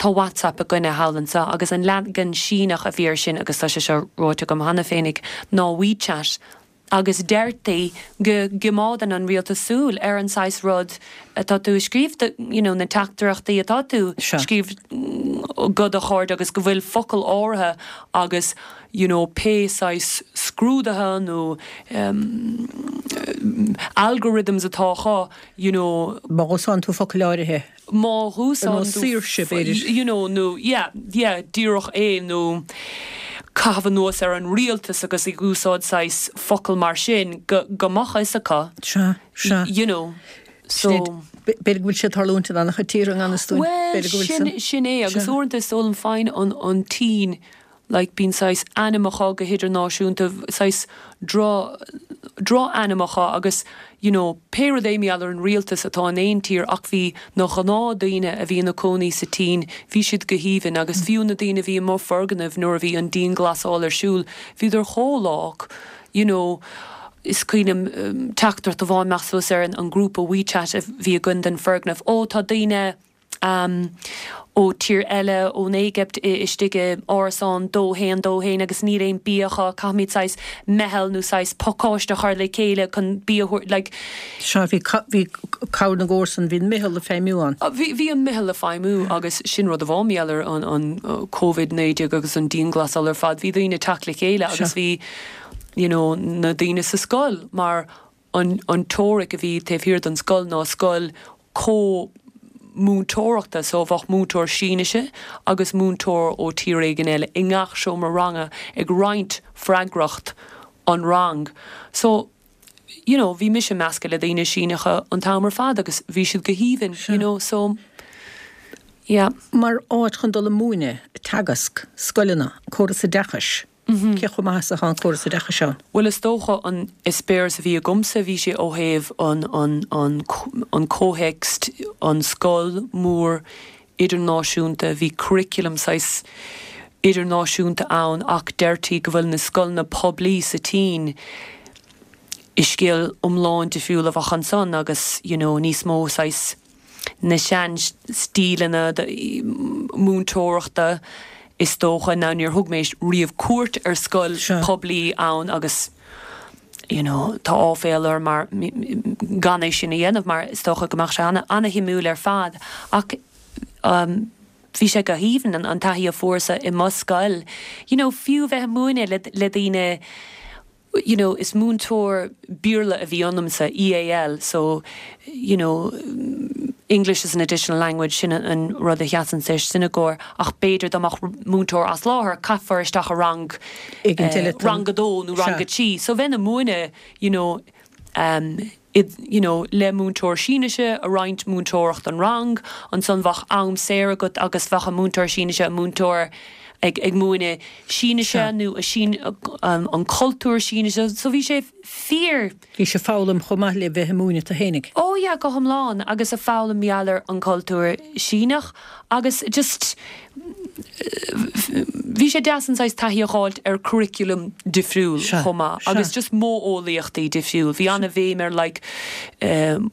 tá WhatsApp againne thall anseo agus an leagan Síneach a bhí air sin agus tá sé seo ráite agam cheana féinig ná WeChat. Agus deirtí go gcoimeádann an rialtas súil ar an saghas rud atá tú ag scríobh you know, na teachtaireachtaí atá tú Sea. scríobh go do chairde agus go bhfuil focail áirithe agus you know, pé saghas scrúdaithe nó um, algorithms atá acu you know, Má úsáideann tú focail áirithe. má úsáideann Nó saoirse, b'fhéidir. you know, nó yeah, yeah, díreach é nó caitheamh anuas ar an rialtas agus ag úsáid saghas focal mar sin go, go mbeadh fhios acu Sea, sea. you know so B'fhéidir go bhfuil sé ag tarlúint in an-chuid tíortha gan stúin. Well, sin, sin é agus Sea. uaireanta is dóigh liom féin an an tSín like bíonn saghas ainm acu go hidirnáisiúnta saghas dro drochainm acu agus you know, pé rud é mar gheall ar an rialtas atá in aon tír ach bhí na gnáthdaoine a bhí ina gcónaí sa tSín, bhí siad go haoibhinn agus fiú na daoine bhí mo foirgneamh nuair a bhí an dianghlasáil ar siúl, bhíodar chomh lách, you know, is cuimhin liom um, teachtaireacht amháin amach suas ar an, an grúpa WeChat a bhí againn den foirgneamh. Ó tá daoine um, ó tír eile ón Éigipt istigh i árasán dó haon dó haon agus níl aon bia acu caithfimid saghas meitheal nó saghas pacáiste a chur le chéile chun bia like, Sea bhí bhí cabhair na gcomharsan bhí meitheal ag feidhmiú ann. Bhí bhí an meitheal ag feidhmiú agus sin rud amháin mar gheall ar an an Covid naoi déag agus an dianghlasáil ar fad bhí daoine teacht le chéile agus bhí you know, na daoine sa scoil mar an, an teoiric a bhí taobh thiar den scoil ná scoil có múinteoireachta so bheadh múinteoir Sínise agus múinteoir ó tír éigin eile i ngach seomra ranga ag roinnt freagracht an rang. So you know, bhí mise measctha le daoine Síneacha an t-am ar fad agus bhí siad go haoibhinn, you know, so yeah. Mar áit chun dul ag múineadh, teagasc, scoileanna, córas oideachais. Cé chomh maith is atá an córas oideachais ann? Well is dócha an eispéireas a bhí agamsa bhí sé ó thaobh an, an, an, an comhthéacs an scoil mór idirnáisiúnta, bhí curriculum saghas idirnáisiúnta ann ach deirtí go bhfuil na scoileanna poiblí sa tSín is scéal iomlán difriúil a bheadh ansan agus you know, níos mó saghas na sean stíleanna múinteoireachta is dócha ná níor thug mé riamh cuairt ar scoil poiblí ann agus you know, tá áiféala orm mar gan é sin a dhéanamh mar is dócha go mbeadh sé an an-shuimiúil ar fad ach um, bhí sé go haoibhinn an, an taithí a fuaireas i mo scoil. You know, fiú bheith ag múineadh le, le daoine you know, is múinteoir Béarla a bhí ionamsa EAL, so you know, English is an additional language sin an rud a sheasann sé sin i gcomhair ach b'fhéidir dá mbeadh múinteoir as láthair caithfear isteach a rang uh, rang a dó nó rang a trí. So bheinn ag múineadh you know, um, id, you know, le múinteoir Sínise ag roinnt múinteoireacht an rang, ansan bheadh am saor agat agus bheadh an múinteoir Sínise an múinteoir ag, ag múineadh Sínise nó a sín, um, an cultúr Sínise, so bhí sé fíor. Bhí sé foghlaim chomh maith le bheith ag múineadh tú fhéinig. Ó yeah, go hiomlán agus ag foghlaim mar gheall ar an cultúr Síneach agus just bhí sé deas an saghas taithí a fháilt ar curriculum difriúil chomh maith agus just modheolaíochtaí difriúil. Bhí an-bhéim ar like um,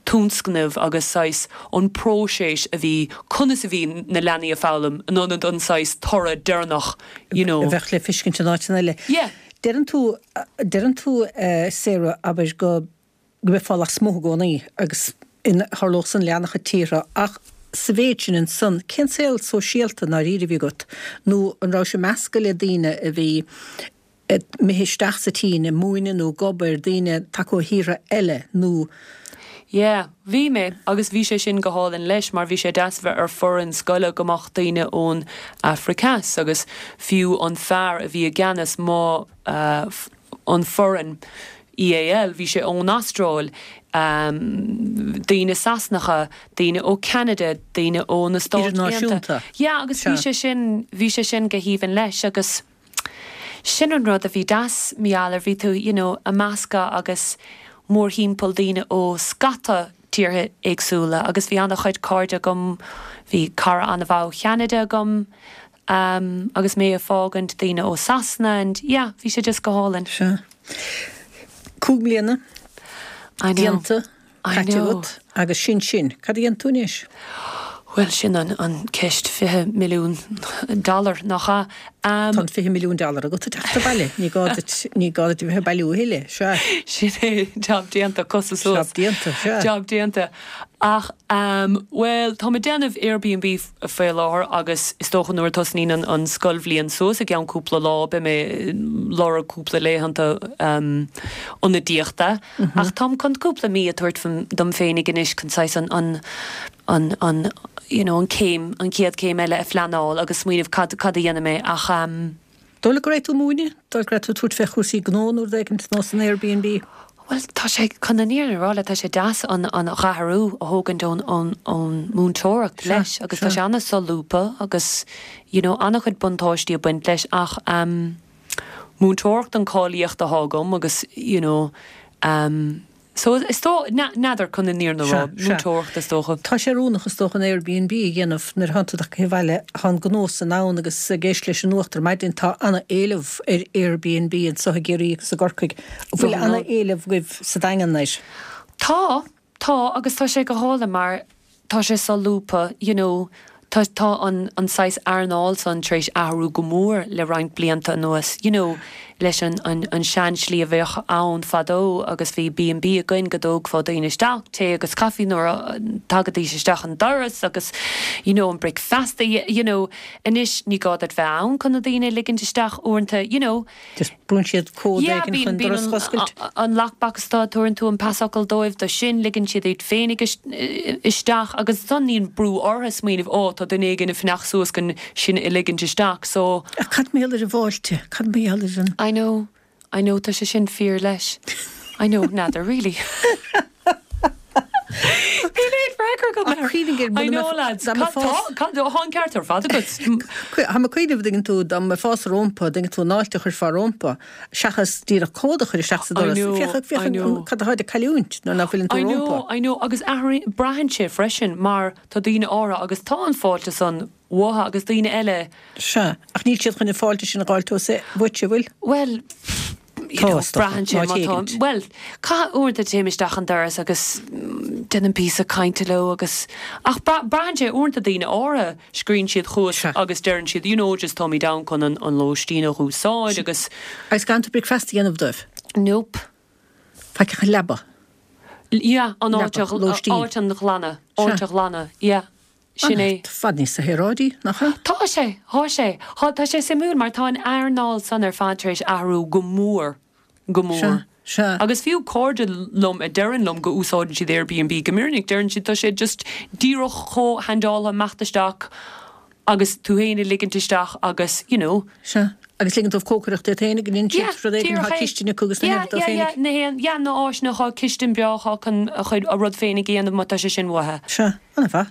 tionscnamh agus saghas an próiseas a bhí conas a bhí na leanaí ag foghlaim in ionad an saghas toradh deireanach, you know. A bheadh le feiscint in áiteanna eile. Yeah. Deireann tú, deireann tú, eh, Sarah, abair go go mbeifeá lasmuigh i gcónaí agus in tharlódh san le an-chuid tíortha ach sa mhéid sin ansan, cén saol sóisialta i ndáiríre a bhí agat nó an raibh sé measctha le daoine a bhí imithe isteach sa tSín ag múineadh nó ag obair, daoine tagtha ó thíortha eile nó. Yeah, bhí mé agus bhí sé sin go hálainn leis mar bhí sé deas bheith ar foireann scoile go mbeadh daoine ón Afraic Theas agus fiú an fear a bhí i gceannas mo an foireann EAL, bhí sé ón Astráil, daoine Sasanacha, daoine ó Ceanada, daoine ó na Stáit Aontaithe. Yeah, agus bhí sé sin, bhí sé sin go haoibhinn leis agus sin an rud a bhí deas, mar gheall ar bhí tú, you know, ag meascadh agus mórthimpeall daoine ó scata tíortha éagsúla agus bhí an-chuid cairde agam, bhí cara an-mhaith ó Cheanada agam, um, agus mé ag fágaint daoine ó Sasana and yeah, bhí sé just go hálainn. Sea. Cúig mbliana I know. déanta, I caite know. agat agus sin sin. Cad a dhéanann tú anois? Bhuel, sin an, an ceist fiche milliún dollar, nach ea? Um, Tá an fiche milliún dollar agat ag teacht abhaile. Ní gá duit, ní gá duit a bheith ag bailiú a thuilleadh. Sea. Sin é, job déanta, cosa suas. Job déanta, sea. Job déanta. Ach, um, bhuel, tá mé ag déanamh Airbnb faoi láthair agus is dócha nuair a tosnaíonn an, an scoilbhliain suas i gceann cúpla lá, beidh mé lorg cúpla laethanta um, ionadaíochta. Mm -hmm. Ach táim chun cúpla mí a thabhairt dom féinig anois chun saghas an, an, an, an, you know, an céim, an chéad céim eile a phleanáil agus smaoineamh cad, cad a dhéanfaidh mé ach um, Dóigh leat go raibh tú ag múineadh? Dóigh leat go raibh tú ag tabhairt fé chúrsaí gnó nó rud éigin nó san Airbnb? Bhuel, tá sé, chun an fhírinne a rá leat, tá sé deas an an dhá athrú a thógaint ón ón ón múinteoireacht leis agus tá sé an-solúbtha agus you know an-chuid buntáistí ag baint leis ach um, múinteoireacht an cáilíocht atá agam agus you know um, so is dó n'fheadar chun an fhírinne a rá, múinteoireacht is dócha. Tá sé oiriúnach is dócha an Airbnb a dhéanamh nuair atánn tú tagtha abhaile, tá an gnó san ann agus ag éisteacht leis an nuacht ar maidin tá ana-éileamh ar Airbnb anseo i gCiarraí agus i gCorcaigh. An bhfuil ana-éileamh agaibh sa Daingean air? Tá, tá agus tá sé go hálainn mar tá sé solúbtha, you know, tá tá an an saghas earnáil san tar éis athrú go mór le roinnt blianta anuas, you know, leis an an an seanslí a bheadh ann fadó agus bhí B and B againn go dtógfá daoine isteach, tae agus caife nuair a tagaidís isteach an doras agus you know an bricfeasta, you know, anois ní gá duit bheith ann chun na daoine a ligint isteach uaireanta, you know. Just brúnn siad cód Yeah, éigin bíonn chun bíonn doras an a oscailt. an lockbox tá tabharann tú an pasfhocal dóibh do sin ligeann siad iad féinig isteach agus ansan níl brú orthu smaoineamh ó tá duine éigin ag fanacht suas chun sinn a ligint isteach so Ach cad mar gheall ar an bhfáilte? Cad mar gheall ar an. I know, I know tá sé sin fíor leis. I know, n'fheadar really. Níl aon freagra agam Ach air. cuimhnigh ar I know lads, dá cad mbeifeá tá cad tá an ceart ar fad agat. Tá mé ag cuimhneamh dtuigeann tú dá mbeifeá rompu, dtuigeann tú an fháilte a chuirfeá rompu, seachas díreach cód a chur isteach sa I doras. know, Féach I féach know. cad atá ag cailliúint nuair nach bhfuileann tú I know, rompu. I know, agus athraíonn braitheann sé freisin mar tá daoine áirithe agus tá an fáilte san uathu agus daoine eile. Sea, ach níl siad chun an fáilte sin a fháil uait, an bhfuil? Well, you Tá know, is dócha, braitheann sé ná má tá téigint. well, caith uaireanta téim isteach an doras agus mm, déanaim píosa cainte leo agus ach braitheann sé uaireanta daoine áirithe scríobhann siad chugat Sea. agus deireann siad you know just táimid ann chun an, an lóistín a úsáid agus Agus gan tú bricfeasta a dhéanamh dóibh. Nope. Faic ach leaba. Yeah, an áit Leaba, lóistín. áit a ghlanadh, áit Sea. a ghlanadh, yeah. Sin é. I bhfad níos saoráidí, nach ea? Tá sé, tá sé, Tá tá sé suimiúil mar tá an earnáil san ar fad tar éis athrú go mór, go mór. Sea, sea. Agus fiú cairde liom a deireann liom go úsáideann siad Airbnb go minic deireann siad tá sé just díreach chomh handáilte imeacht isteach agus tú féin a ligint isteach agus you know. Sea. Agus ligeann dóibh cócaireacht iad féinig, an Yeah, siad rud éigin díreach tá é. cistin acu agus na Yeah, héad yeah, yeah, féinig. na haon, yeah, na áiseanna tá cistin breá chun a chuid a rud féinig a dhéanamh má tá sé sin uathu. Sea, an-mhaith.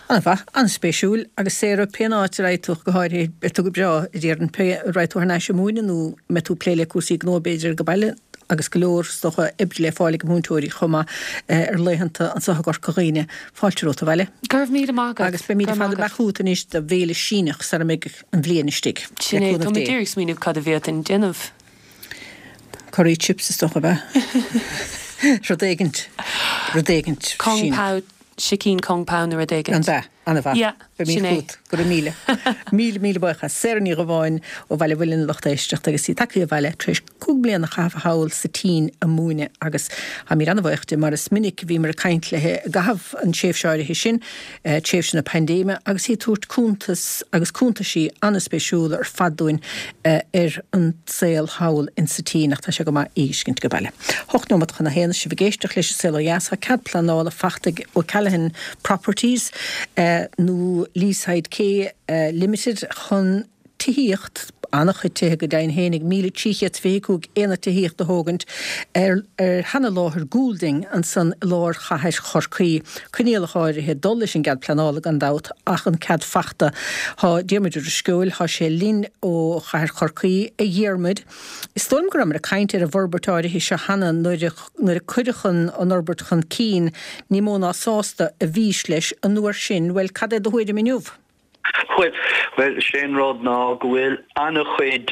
An-mhaith, an-spéisiúil agus Sarah pén áit a raghaidh tú go háirithe beidh tú go breá i dtír an pé raghaidh tú thar n-ais ag múineadh nó mbeidh tú ag plé le cúrsaí gnó b'fhéidir go baile agus go leor is dócha oibre le fáil ag múinteoirí chomh maith ar laethanta anseo i gCorca Dhuibhne. Fáilte romhat abhaile. Go raibh míle maith agat. Agus beimid ar fad ag amach chugat anois do bhéile Síneach sara mbeidh an bhliain istigh. Sin é, tá mé díreach ag smaoineamh cad a bhféadfainn déanamh. Curry chips is dócha ab ea? Rud éigint, rud éigint Kung Síneach. Pao, sicín Kung Pao nó rud éigint. An b'ea? An-mhaith. Yeah, Beimid sin é. chugat. Go raibh míle. Míle, míle buíochas. Sarah Ní Dhubháin ó Bhaile Mhuilinn a lucht éisteachta agus í tagtha abhaile tar éis cúig bliana a chaitheamh thall sa tSín ag múineadh agus táimid an-bhuíoch di mar is minic a bhíomar ag caint léi i gcaitheamh an tréimhse áirithe sin, tréimhse na paindéime, agus í ag tabhairt cuntas agus cuntaisí an-spéisiúla ar fad dúinn ar an saol thall in sa tSín ach tá sé go maith í a fheiscint go baile. Hocht nóiméad chun a haon is sibh ag éisteacht leis an Saol Ó Dheas, tá cead pleanála fachta ag O'Callaghan Properties nó Leaside Quay Limited chun tithíocht, an-chuid tithe go deimhin féinig, míle trí chéad is fiche cúig aonad tithíochta a thógaint ar ar sheana-láthair Goulding ansan i lár chathair Chorcaí. Coinníollacha áirithe ag dul leis an gcead pleanála gan dabht ach an cead fachta. Tá Diarmuid Ó Drisceoil, tá sé linn ó chathair Chorcaí. A Dhiarmuid, is dóigh liom go rabhamar ag caint ar an bhforbairt áirithe seo cheana nuair a nuair a cuireadh an an fhorbairt chun cinn, ní mó ná sásta a bhís leis an uair sin. Bhuel, cad é do thuairim inniu? Bhuel, bhuel, sé an rud ná go bhfuil an-chuid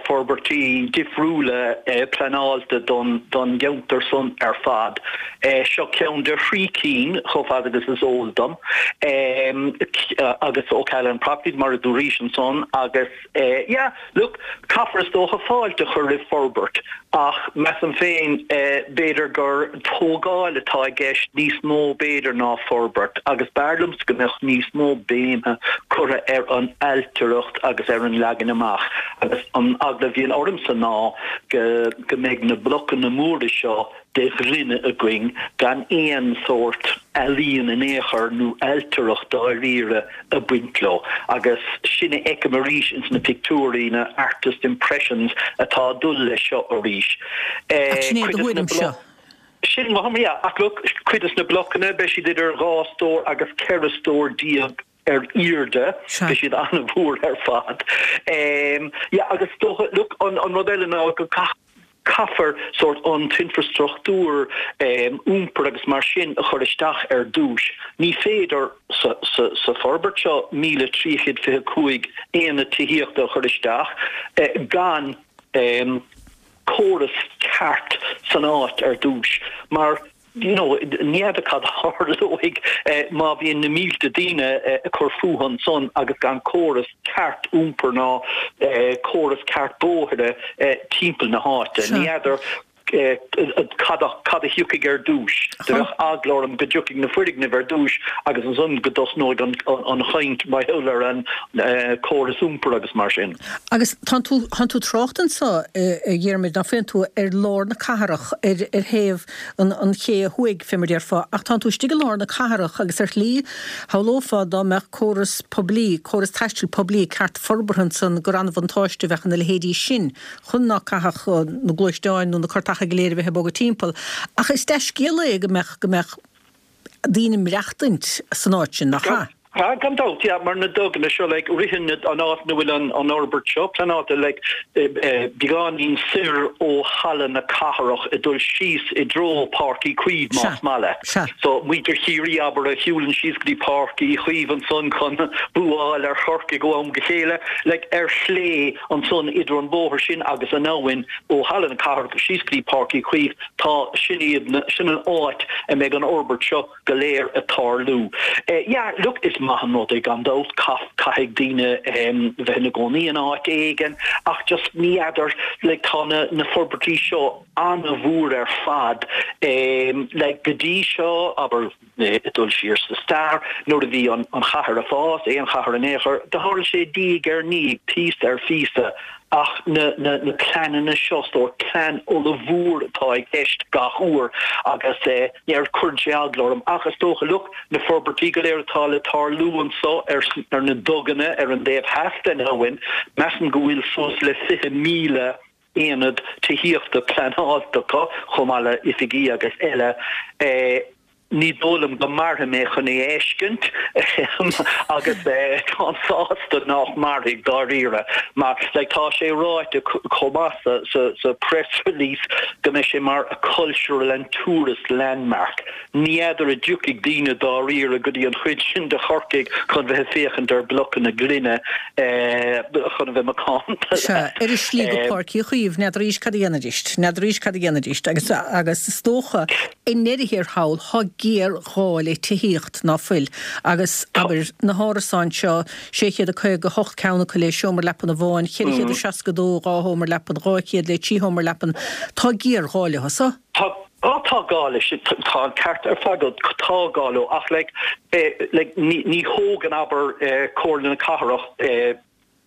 forbairtí difriúla pleanáilte don don gceantar san ar fad. Seo ceann de thrí cinn, chomh fada agus is eol dom, agus O'Callaghan Properties, mar a dúraís ansan, agus yeah, look, caithfear is dócha fáilte a chur roimh forbairt ach measaim féin b'fhéidir gur tógáil atá i gceist níos mó b'fhéidir ná forbairt agus b'fhearr liomsa go mbeadh níos mó béime curtha ar an ailtireacht agus ar an leagan amach agus an eagla a bhíonn ormsa ná go go mbeidh na blocanna móra seo de ghloine againn gan aon sórt ealaíon in aon chor nó ailtireacht dáiríre ag baint leo agus sin a fheicim arís ins na pictiúirí, na artist impressions atá ag dul leis seo arís. Ach sin é do Cuid des na thuairim seo. Sin mo thuairim, yeah. Ach look, cuid des na blocanna, beidh siad idir dhá stór agus ceithre stór déag ar airde, Sea. beidh siad an-mhór ar fad. Yeah, agus is dócha, look, an rud eile ná go caithfear sórt an t-infreastruchtúr iompair agus mar sin a chur isteach ar dtús. Ní féidir sa sa forbairt seo míle trí chéad fiche cúig aonad tithíochta a chur isteach gan córas ceart san áit ar dtús mar you know, ní fheadar cad a tharlóidh má bhíonn na mílte daoine ag cur fúthu ansan agus gan córas ceart iompair ná córas ceart bóithre timpeall na háite. Ní fheadar cad a thiocfaidh ar dtús. Do bheadh eagla orm go dtiocfaidh na foirgnimh ar dtús agus ansan go dtosnóidh an chaint mar gheall ar an córas iompair agus mar sin. Agus tánn tú, tánn tú trácht anso, a Dhiarmuid, ná faigheann tú ar lár na cathrach, ar ar thaobh an an ché thuaidh, fé mar déarfá, ach tánn tú istigh i lár na cathrach agus ar shlí, shamhlófá dá mbeadh córas poiblí, córas taistil poiblí ceart forbartha ansan gur an-bhuntáiste a bheadh ina leithéidí sin chun ná caithfeadh na gluaisteáin nó na cartacha go léir a bheith ag bogadh timpeall. Ach is dea-scéal é go mbeadh, go mbeadh daoine ag maireachtaint san áit sin, nach ea? Ah, gan dabht, yeah, mar na duganna seo, like, ritheann an áit ina bhfuil an an fhorbairt seo pleanáilte, like, beagáinín soir ó Halla na Cathrach ag dul síos i dtreo Páirc Uí Chaoimh, Sea, más maith leat. sea. So, muintir Chiarraí, abair, a shiúlann síos go dtí Páirc Uí Chaoimh ansan chun bua a fháil ar Chorcaigh ó am go chéile, like, ar chlé ansan idir an bóthar sin agus an abhainn ó Halla na Cathrach síos go dtí Páirc Uí Chaoimh, tá, sin iad na, sin an áit a mbeidh an fhorbairt seo go léir ag tarlú. Yeah, look, is maith an rud é gan dabht, caithfidh daoine bheith ina gcónaí in áit éigin ach just ní fheadar, like tá na na forbairtí seo an-mhór ar fad like go dtí seo, abair, ag dul siar sa stair, nuair a bhí an an chathair ag fás, aon chathair in aon chor, do tharla sé diaidh ar ndiaidh, píosa ar phíosa. Ach na na pleananna seo, sórt plean ollmhór atá i gceist gach uair agus ní cuireann sé eagla orm. Ach is dócha, look, na forbairtí go léir atá le tarlú anso ar ar na duganna ar an dtaobh theas den abhainn, measaim go bhfuil suas le fiche míle aonad tithíochta pleanáilte acu, chomh maith le oifigí agus eile. Ní dóigh liom go mairfidh mé chun é a fheiscint agus táim sásta nach mairfidh dáiríre mar like tá sé ráite chomh maith sa sa sa press release go mbeidh sé mar a cultural and tourist landmark. Ní fheadar an dtiocfaidh daoine dáiríre go dtí an chuid sin de Chorcaigh chun bheith ag féachaint ar blocanna gloine chun a bheith macánta. Sea, ar a slí go Páirc Uí Chaoimh, n'fheadar arís cad a dhéanfaidís, n'fheadar arís cad a dhéanfaidís agus agus is dócha i ndeireadh thiar thall, tá géarghá le tithíocht, ná fuil? Agus, abair, na hárasáin seo, sé chéad a caoga a hocht ceann acu le seomra leapan amháin, ceithre chéad a seasca a dó dhá sheomra leapan, dhá chéad le trí sheomra leapan, tá géarghá leo so. Tá, á tá gá leis, tá an ceart ar fad agat, tá gá leo, ach like, like, ní, ní thógann, abair, Comhairle na Cathrach,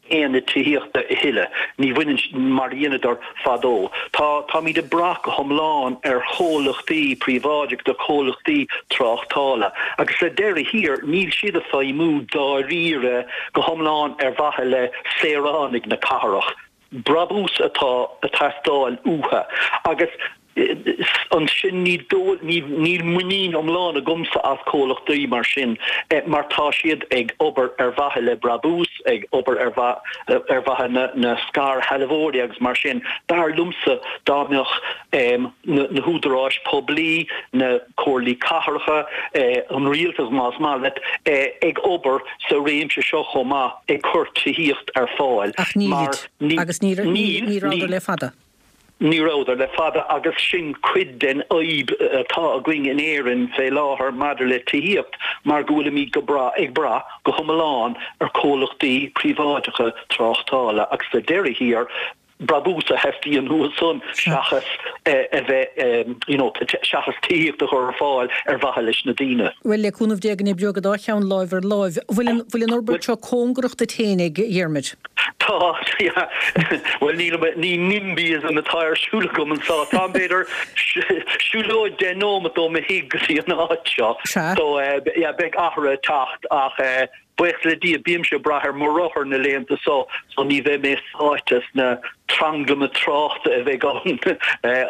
aonad tithíochta a thuilleadh. Ní bhaineann, mar a dheineadar fadó. Tá, táimid ag brath go hiomlán ar chomhlachtaí príobháideacha, comhlachtaí tráchtála. Agus sa deireadh thiar, níl siad ag feidhmiú dáiríre go hiomlán ar mhaithe le saoránaigh na cathrach. Brabús atá ag teastáil uathu. Agus ansin ní dóigh, níl muinín iomlán agamsa as comhlachtaí mar sin mar tá siad ag obair ar mhaithe le brabús, ag obair ar ar mhaithe na scairshealbhóirí agus mar sin. B'fhearr liomsa dá mbeadh na húdaráis poiblí, na comhairlí cathracha, an rialtas más maith leat, ag obair sa réimse seo chomh maith, ag cur tithíocht ar fáil Ach nílid. Agus ní rabhadar le fada. Ní rabhadar le fada agus sin cuid den fhadhb atá againn in Éirinn fé láthair maidir le tithíocht mar go bhfuilimid go brath ag brath go hiomlán ar chomhlachtaí príobháideacha tráchtála agus sa deireadh thiar brabús a theastaíonn uathu san seachas a bheith you know seachas tithíocht a chur ar fáil ar mhaithe leis na daoine. Bhuel, le cúnamh Dé go n-oibreoidh an dá cheann láimh ar láimh. Bhfuil an bhfuil an fhorbairt seo cóngarach duit féinig, a Dhiarmuid? Tá, yeah. Bhuel, níl, ní NIMBYism atá ar siúl agam anseo. Táim, b'fhéidir, siúlóid deich nóimeat ó mo thigh go dtí an áit seo. Sea. So, yeah, beidh athruithe ag teacht ach buíochas le Dia, bímse ag brath ar mo rothar na laethanta so, so ní bheidh mé sáite sna tranglaim tráchta a bheidh ann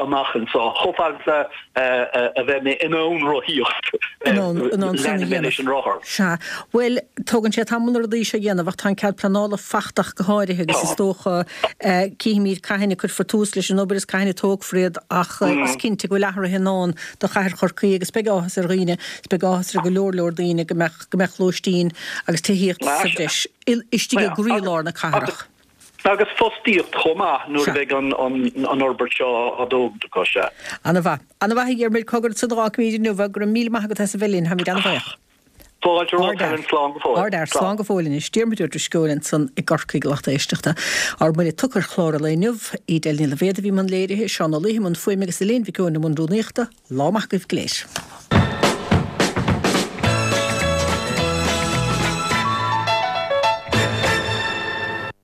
amach anseo. Chomh fada is a. a bheidh mé in ann rothaíocht, leanfaidh mé leis an rothar. Sea. Bhuel, tógann sé tamall na rudaí seo a dhéanamh ach tá an cead pleanála faighte ach go háirithe agus is dócha, cífimid cathain a cuirfear tús leis an obair is cathain a tógfar iad ach is cinnte go bhfuil athruithe i ndán do chathair Chorcaí agus beidh áthas ar dhaoine, is beidh áthas ar go leor leor daoine go mbeadh, go mbeadh lóistín agus tithíocht sa bhreis istigh i gcroílár na cathrach. Agus fostaíocht chomh maith nuair a bheidh an fhorbairt seo á dtógaint acu, sea. Ana-mhaith. Ana-mhaith a Dhiarmuid, cogar ansan a dh'fhágfaimid inniu é. Go raibh míle maith agat as a bheith linn. Táimid ana-bhuíoch. Fáilte romhat, Helen. Slán go fóill. Ardfhear. Slán go fóill anois. Diarmuid Ó Drisceoil ansan i gCorcaigh, a lucht éisteachta. Ár mbuille tugtha ar chlár an lae inniu. Edel Ní Loibhéad a bhí i mbun léirithe, Seán Ó Laoithe i mbun fuaime agus Elaine Mhic Eoin i mbun rúnaíochta. Lá maith agaibh go léir.